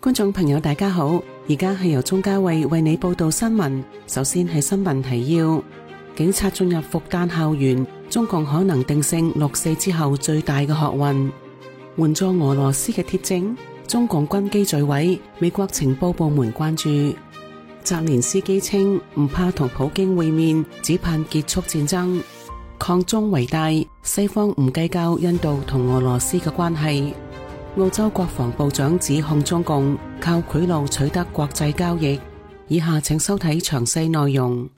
觀眾朋友大家好，而家係由鍾嘉慧為你報道新聞。首先係新聞提要：警察進入復旦校園，中共可能定性6·4之後最大嘅學運。援助俄羅斯嘅鐵證，中共軍機墜毀，美國情報部門關注。澤連斯基稱唔怕同普京會面，只盼結束戰爭。抗中為大，西方唔計較印度同俄羅斯嘅關係。澳洲國防部長指控中共靠賄賂取得國際交易。以下請收睇詳細內容。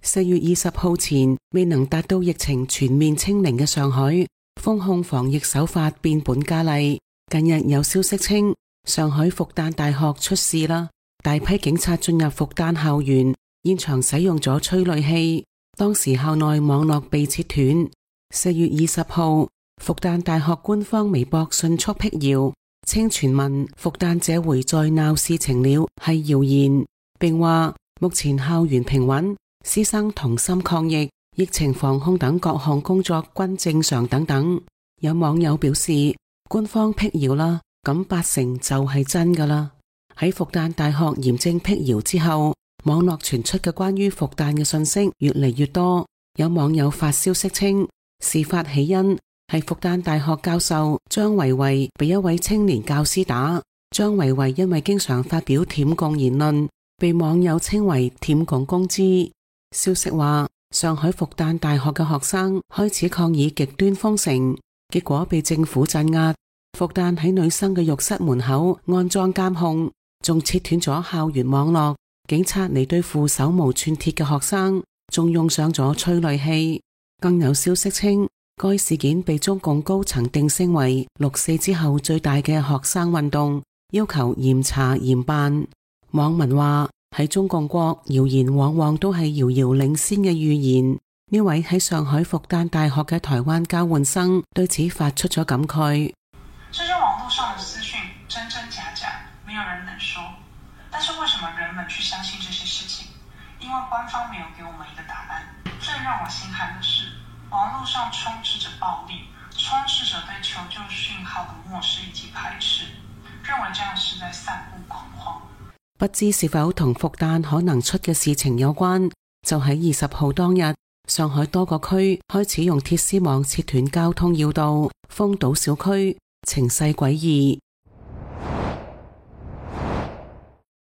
4月20號前未能達到疫情全面清零嘅上海，封控防疫手法變本加厲。近日有消息稱上海復旦大學出事啦，大批警察進入復旦校園，現場使用咗催淚氣，當時校內網絡被切斷。4月20號復旦大學官方微博迅速闢謠，稱傳聞復旦這回再鬧事情了係謠言，並話目前校園平穩，師生同心抗疫，疫情防控等各項工作均正常等等。有網友表示，官方闢謠啦，咁80%就係真噶啦。喺復旦大學嚴正闢謠之後，網絡傳出嘅關於復旦嘅信息越嚟越多。有網友發消息稱，事發起因係復旦大學教授張維維被一位青年教師打。張維維因為經常發表舔共言論，被網友稱為舔共公知。消息話，上海復旦大學嘅學生開始抗議極端封城，結果被政府鎮壓。復旦喺女生嘅浴室門口安裝監控，仲切斷咗校園網絡。警察嚟對付手無寸鐵嘅學生，仲用上咗催淚氣。更有消息稱，該事件被中共高層定性為6·4之後最大嘅學生運動，要求嚴查嚴辦。網民話，喺中共國，謠言往往都係遙遙領先嘅預言。呢位喺上海復旦大學嘅台灣交換生對此發出咗感慨。這些網絡上的資訊真真假假，沒有人能說。但是為什麼人們去相信這些事情？因為官方沒有給我們一個答案。最讓我心寒的是，網絡上充斥着暴力，充斥着對求救訊號的漠視以及排斥，認為這樣是在散布恐慌。不知是否同復旦可能出嘅事情有關？就喺20號當日，上海多個區開始用鐵絲網切斷交通要道，封堵小區，情勢詭異。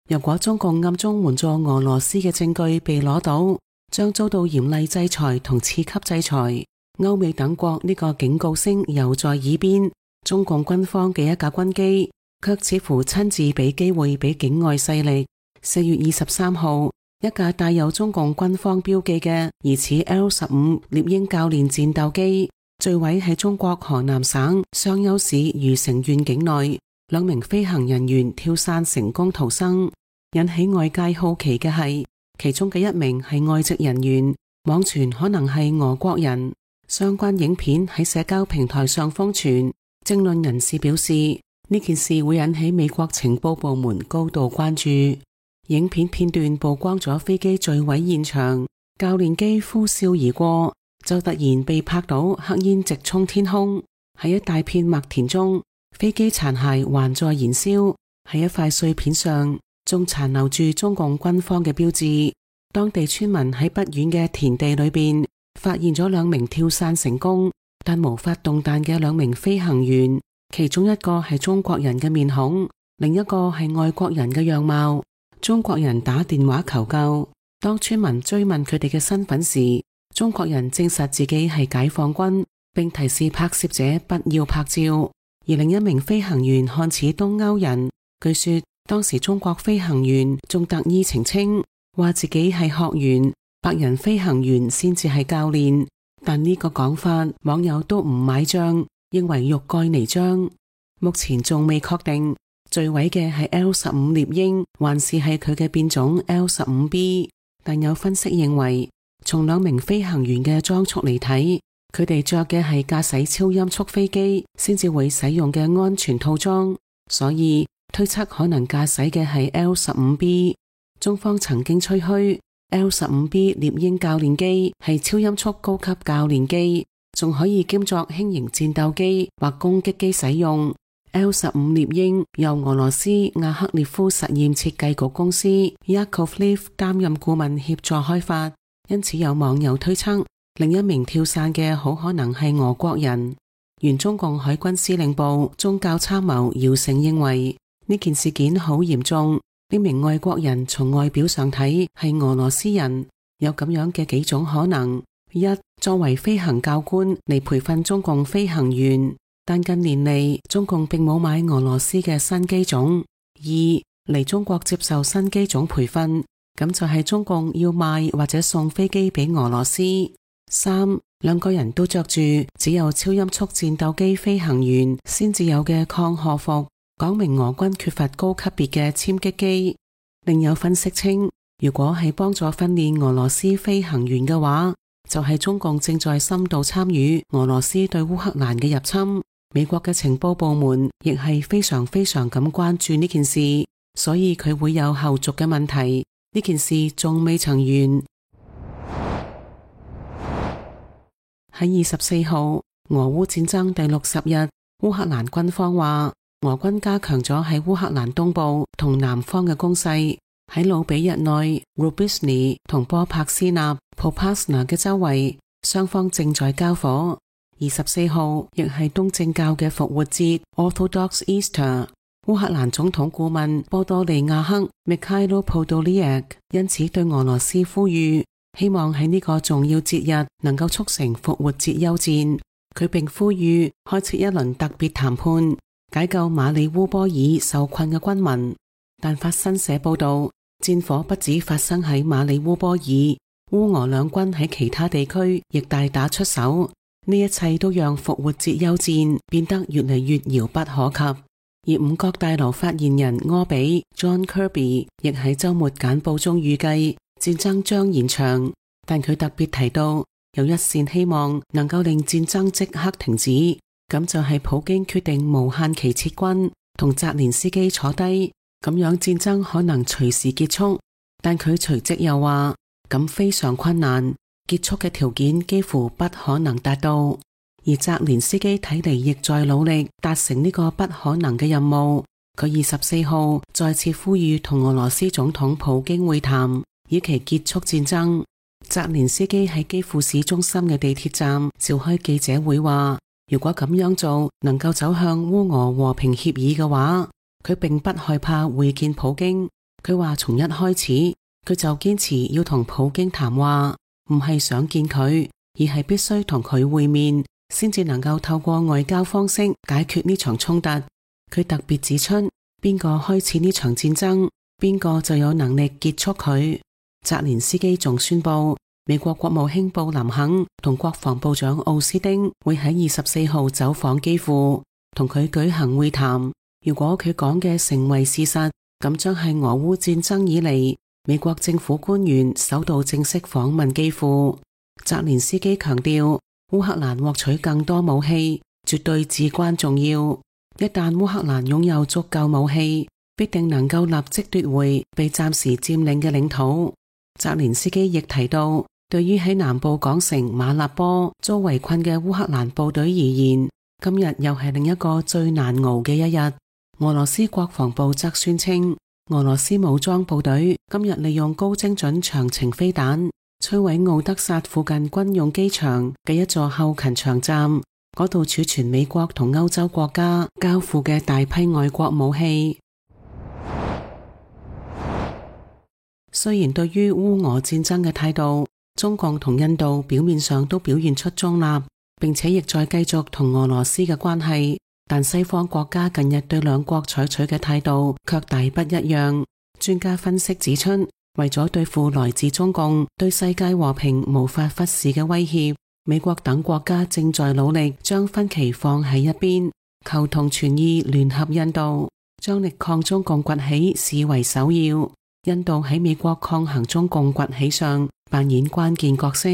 如果中共暗中援助俄羅斯嘅證據被攞到，將遭到嚴厲制裁同次級制裁。歐美等國呢個警告聲又在耳邊，中共軍方嘅一架軍機卻似乎親自俾機會俾境外勢力。4月23號，一架帶有中共軍方標記嘅疑似 L-15獵鷹教練戰鬥機墜毀喺中國河南省商丘市虞城縣境內，2名飛行人員跳傘成功逃生。引起外界好奇嘅係，其中嘅一名係外籍人員，網傳可能係俄國人。相關影片喺社交平台上瘋傳，政論人士表示呢件事會引起美國情報部門高度關注。影片片段曝光咗飛機墜毀現場，教練機呼嘯而過，就突然被拍到黑煙直衝天空。喺一大片麥田中，飛機殘骸還在燃燒，喺一塊碎片上仲殘留住中共軍方嘅標誌。當地村民喺不遠嘅田地裏邊發現咗2名跳傘成功但無法動彈嘅2名飛行員，其中一個係中國人嘅面孔，另一個係外國人嘅樣貌。中國人打電話求救，當村民追問佢哋嘅身份時，中國人證實自己係解放軍，並提示拍攝者不要拍照。而另一名飛行員看似東歐人，據說當時中國飛行員仲特意澄清，話自己係學員，白人飛行員先至係教練。但呢個講法，網友都唔買賬，認為欲蓋彌彰。目前仲未確定墜毀嘅係 L-15獵鷹，還是係佢嘅變種 L-15B。但有分析認為，從2名飛行員嘅裝束嚟睇，佢哋着嘅係駕駛超音速飛機先至會使用嘅安全套裝，所以推測可能駕駛嘅係 L-15B。中方曾經吹噓 L-15B 獵鷹教練機係超音速高級教練機，仲可以兼作輕型戰鬥機或攻擊機使用。L-15獵鷹由俄羅斯亞克列夫實驗設計局公司 Yakovlev 擔任顧問協助開發，因此有網友推測另一名跳傘嘅好可能係俄國人。原中共海軍司令部宗教參謀姚成認為呢件事件好嚴重，呢名外國人從外表上睇係俄羅斯人，有咁樣嘅幾種可能：一，作為飛行教官嚟培訓中共飛行員，但近年嚟中共並冇買俄羅斯嘅新機種；二，嚟中國接受新機種培訓，咁就係中共要賣或者送飛機俾俄羅斯；三，兩個人都着住只有超音速戰鬥機飛行員先至有嘅抗荷服，講明俄軍缺乏高級別嘅殲擊機。另有分析稱，如果係幫助訓練俄羅斯飛行員嘅話，就係中共正在深度參與俄羅斯對烏克蘭嘅入侵。美國嘅情報部門亦係非常咁關注呢件事，所以佢會有後續嘅問題。呢件事仲未曾完。喺24號，俄烏戰爭第60日，烏克蘭軍方話俄軍加強咗喺烏克蘭東部同南方嘅攻勢，喺魯比日內、Rubizny 同波帕斯納 Popasna 嘅周圍，雙方正在交火。24號亦係東正教嘅復活節 Orthodox Easter。烏克蘭總統顧問波多利亞克 Mikhailo Podolyak 因此對俄羅斯呼籲，希望喺呢個重要節日能夠促成復活節休戰。佢並呼籲開設一輪特別談判，解救馬里烏波爾受困嘅軍民。但法新社報道，戰火不止發生喺馬里烏波爾，烏俄兩軍喺其他地區亦大打出手。呢一切都讓復活節休戰變得越嚟越遙不可及。而五角大樓發言人柯比 John Kirby 亦喺周末簡報中預計戰爭將延長，但佢特別提到有一線希望能夠令戰爭即刻停止，咁就係普京決定無限期撤軍，同澤連斯基坐低，咁樣戰爭可能隨時結束。但佢隨即又話，咁非常困難，結束嘅條件幾乎不可能達到。而澤連斯基睇嚟亦在努力達成呢個不可能嘅任務。佢24號再次呼籲同俄羅斯總統普京會談，以期結束戰爭。澤連斯基喺基輔市中心嘅地鐵站召開記者會話，如果咁樣做能夠走向烏俄和平協議嘅話，佢並不害怕會見普京。佢話從一開始佢就堅持要同普京談話，唔係想見佢，而係必須同佢會面，先至能夠透過外交方式解決呢場衝突。佢特別指出，邊個開始呢場戰爭，邊個就有能力結束佢。澤連斯基仲宣布，美國國務卿布林肯同國防部長奧斯丁會喺24號走訪基輔，同佢舉行會談。如果佢講嘅成為事實，咁將係俄烏戰爭以嚟美國政府官員首度正式訪問基輔。澤連斯基強調，烏克蘭獲取更多武器絕對至關重要。一旦烏克蘭擁有足夠武器，必定能夠立即奪回被暫時佔領嘅領土。澤連斯基亦提到，對於喺南部港城馬立波遭圍困嘅烏克蘭部隊而言，今日又係另一個最難熬嘅一日。俄羅斯國防部則宣稱，俄羅斯武裝部隊今日利用高精準長程飛彈摧毀奧德薩附近軍用機場嘅一座後勤場站，嗰度儲存美國同歐洲國家交付嘅大批外國武器。雖然對於烏俄戰爭嘅態度，中共同印度表面上都表現出中立，並且亦在繼續同俄羅斯嘅關係，但西方國家近日對兩國採取嘅態度卻大不一樣。專家分析指出，為咗對付來自中共對世界和平無法忽視嘅威脅，美國等國家正在努力將分歧放喺一邊，求同存異聯合印度，將力抗中共崛起視為首要。印度喺美國抗衡中共崛起上扮演關鍵角色。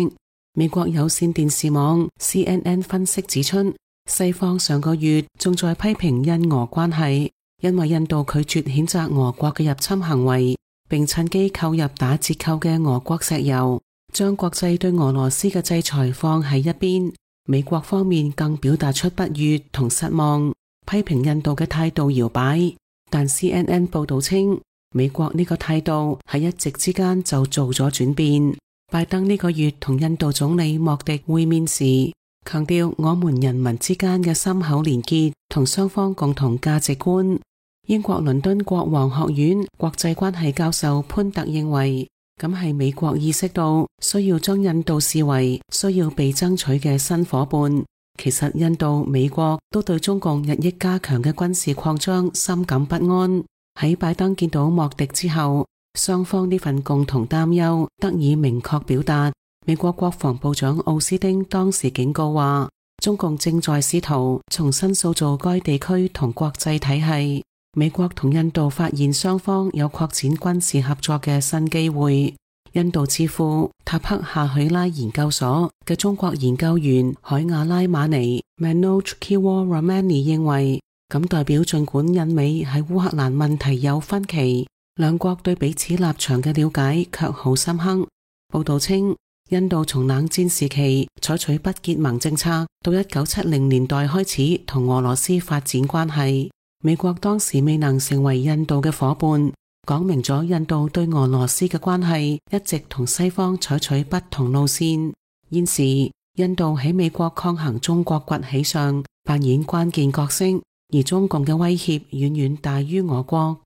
美國有線電視網 CNN 分析指出，西方上個月仲在批評印俄關係，因為印度拒絕譴責俄國嘅入侵行為，並趁機購入打折扣嘅俄國石油，將國際對俄羅斯嘅制裁放喺一邊。美國方面更表達出不悅同失望，批評印度嘅態度搖擺，但 CNN 報道稱，美國呢個態度喺一夕之間就做咗轉變。拜登呢個月同印度總理莫迪會面時，強調我們人民之間嘅深厚連結同雙方共同價值觀。英國倫敦國王學院國際關係教授潘特認為，咁係美國意識到需要將印度視為需要被爭取嘅新夥伴。其實印度、美國都對中共日益加強嘅軍事擴張深感不安。喺拜登見到莫迪之後，雙方呢份共同擔憂得以明確表達。美國國防部長奧斯汀當時警告話，中共正在試圖重新塑造該地區同國際體系。美國同印度發現雙方有擴展軍事合作嘅新機會。印度智庫塔克夏許拉研究所嘅中國研究員海亞拉馬尼 Manoj Kiwaramani 認為，咁代表盡管印美喺烏克蘭問題有分歧，兩國對彼此立場嘅了解卻好深刻。報道稱，印度從冷戰時期採取不結盟政策，到1970年代開始同俄羅斯發展關係。美國當時未能成為印度嘅夥伴，講明咗印度對俄羅斯嘅關係一直同西方採取不同路線。現時，印度喺美國抗衡中國崛起上扮演關鍵角色，而中共嘅威脅遠遠大於俄國。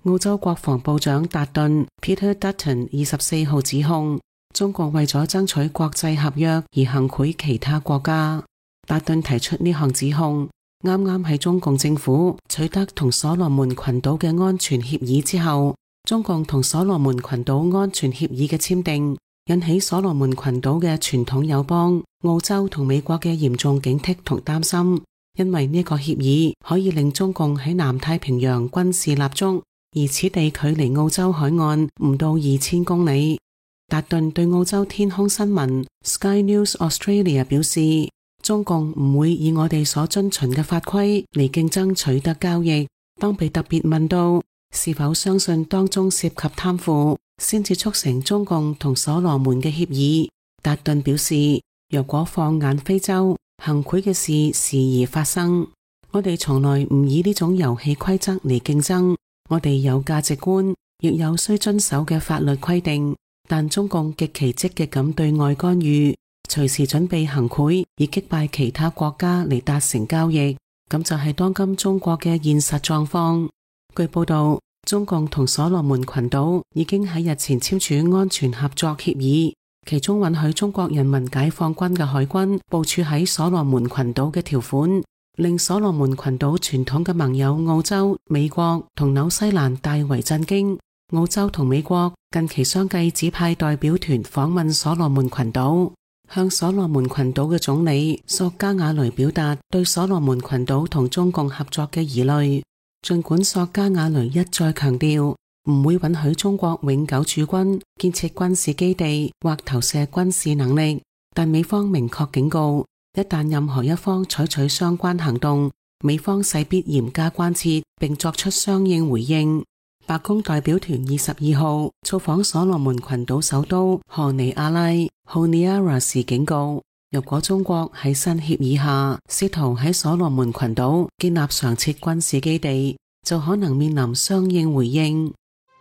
澳洲國防部長達頓 Peter Dutton 24號指控中共為咗爭取國際合約而行賄其他國家。達頓提出呢項指控，啱啱喺中共政府取得同所羅門群島嘅安全協議之後，中共同所羅門群島安全協議嘅簽訂，引起所羅門群島嘅傳統友邦澳洲同美國嘅嚴重警惕同擔心，因為呢個協議可以令中共喺南太平洋軍事立足，而此地距離澳洲海岸唔到2000公里。達頓對澳洲天空新聞 Sky News Australia 表示，中共唔會以我哋所遵循嘅法規嚟競爭取得交易。當被特別問到是否相信當中涉及貪腐，先至促成中共同所羅門嘅協議，達頓表示，若果放眼非洲，行賄嘅事時而發生。我哋從來唔以呢種遊戲規則嚟競爭，我哋有價值觀，亦有需遵守嘅法律規定，但中共極其積極咁對外干預，隨時準備行賄以擊敗其他國家嚟達成交易，咁就係當今中國嘅現實狀況。據報道，中共同所羅門群島已經喺日前簽署安全合作協議，其中允許中國人民解放軍嘅海軍部署喺所羅門群島嘅條款，令所羅門群島傳統嘅盟友澳洲、美國同紐西蘭大為震驚。澳洲同美國近期相繼指派代表團訪問所羅門群島，向所羅門群島嘅總理索加瓦雷表達對所羅門群島同中共合作嘅疑慮。盡管索加瓦雷一再強調唔會允許中國永久駐軍、建設軍事基地或投射軍事能力，但美方明確警告，一旦任何一方採取相關行動，美方勢必嚴加關切並作出相應回應。白宮代表團22號造訪所羅門群島首都荷尼亞拉 Honiara 時警告，若果中國喺新協議下試圖喺所羅門群島建立常設軍事基地，就可能面臨相應回應。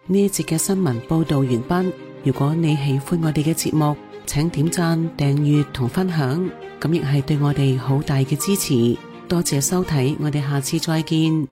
呢一節嘅新聞報道完畢。如果你喜歡我哋嘅節目，請點讚、訂閱同分享，咁亦係對我哋好大嘅支持。多謝收睇，我哋下次再見。